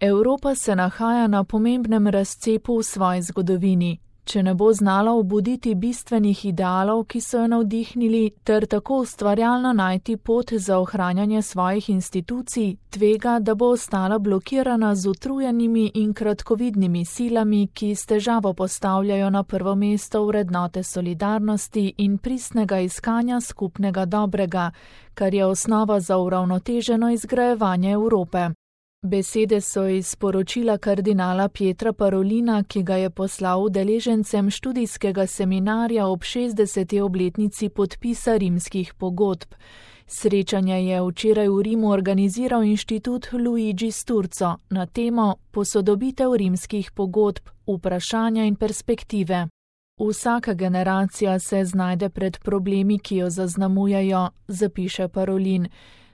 Evropa se nahaja na pomembnem razcepu v svoji zgodovini. Če ne bo znala obuditi bistvenih idealov, ki so jo navdihnili, ter tako ustvarjalno najti pot za ohranjanje svojih institucij, tvega, da bo ostala blokirana z utrujenimi in kratkovidnimi silami, ki s težavo postavljajo na prvo mesto vrednote solidarnosti in pristnega iskanja skupnega dobrega, kar je osnova za uravnoteženo izgrajevanje Evrope. Besede so iz sporočila kardinala Pietra Parolina, ki ga je poslal udeležencem študijskega seminarja ob 60. obletnici podpisa rimskih pogodb. Srečanje je včeraj v Rimu organiziral inštitut Luigi Sturzo na temo Posodobitev rimskih pogodb, vprašanja in perspektive. Vsaka generacija se znajde pred problemi, ki jo zaznamujejo, zapiše Parolin.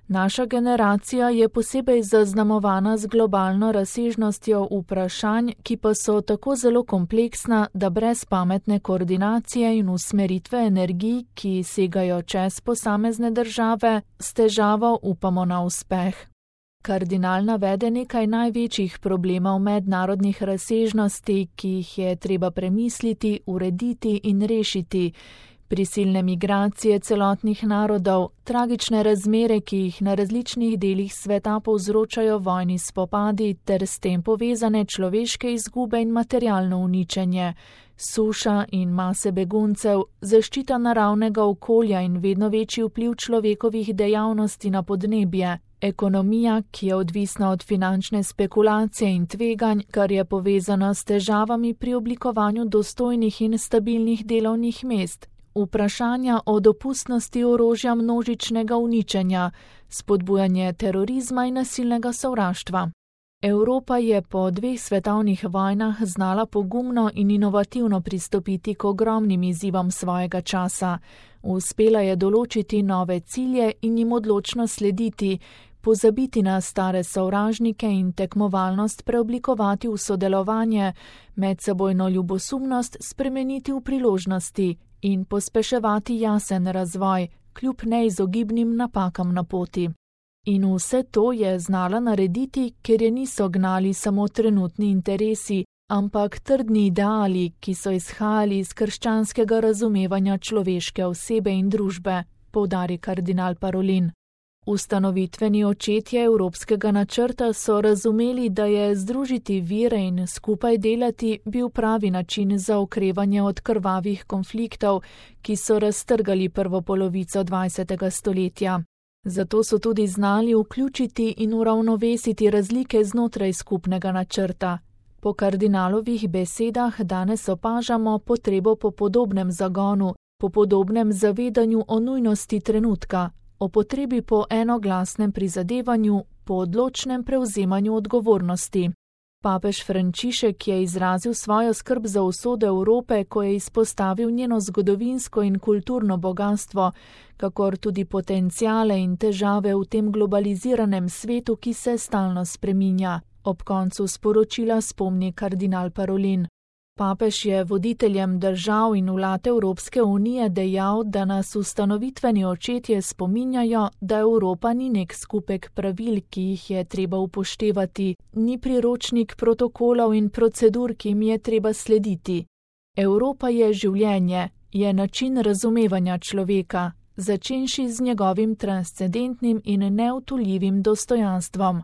Naša generacija je posebej zaznamovana z globalno razsežnostjo vprašanj, ki pa so tako zelo kompleksna, da brez pametne koordinacije in usmeritve energij, ki segajo čez posamezne države, s težavo upamo na uspeh. Kardinal navede nekaj največjih problemov mednarodnih razsežnosti, ki jih je treba premisliti, urediti in rešiti. Prisilne migracije celotnih narodov, tragične razmere, ki jih na različnih delih sveta povzročajo vojni spopadi ter s tem povezane človeške izgube in materialno uničenje, suša in mase beguncev, zaščita naravnega okolja in vedno večji vpliv človekovih dejavnosti na podnebje, ekonomija, ki je odvisna od finančne spekulacije in tveganj, kar je povezano s težavami pri oblikovanju dostojnih in stabilnih delovnih mest, vprašanja o dopustnosti orožja množičnega uničenja, spodbujanje terorizma in nasilnega sovraštva. Evropa je po 2 svetovnih vojnah znala pogumno in inovativno pristopiti k ogromnim izzivom svojega časa. Uspela je določiti nove cilje in jim odločno slediti, pozabiti na stare sovražnike in tekmovalnost preoblikovati v sodelovanje, medsebojno ljubosumnost spremeniti v priložnosti in pospeševati jasen razvoj, kljub neizogibnim napakam na poti. In vse to je znala narediti, ker je niso gnali samo trenutni interesi, ampak trdni ideali, ki so izhajali iz krščanskega razumevanja človeške osebe in družbe, poudari kardinal Parolin. Ustanovitveni očetje evropskega načrta so razumeli, da je združiti vire in skupaj delati bil pravi način za okrevanje od krvavih konfliktov, ki so raztrgali prvo polovico 20. stoletja. Zato so tudi znali vključiti in uravnovesiti razlike znotraj skupnega načrta. Po kardinalovih besedah danes opažamo potrebo po podobnem zagonu, po podobnem zavedanju o nujnosti trenutka, o potrebi po enoglasnem prizadevanju, po odločnem prevzemanju odgovornosti. Papež Frančišek je izrazil svojo skrb za usodo Evrope, ko je izpostavil njeno zgodovinsko in kulturno bogastvo, kakor tudi potenciale in težave v tem globaliziranem svetu, ki se stalno spreminja. Ob koncu sporočila spomni kardinal Parolin. Papež je voditeljem držav in vlad Evropske unije dejal, da nas ustanovitveni očetje spominjajo, da Evropa ni nek skupek pravil, ki jih je treba upoštevati, ni priročnik protokolov in procedur, ki jim je treba slediti. Evropa je življenje, je način razumevanja človeka, začenši z njegovim transcendentnim in neodtujljivim dostojanstvom.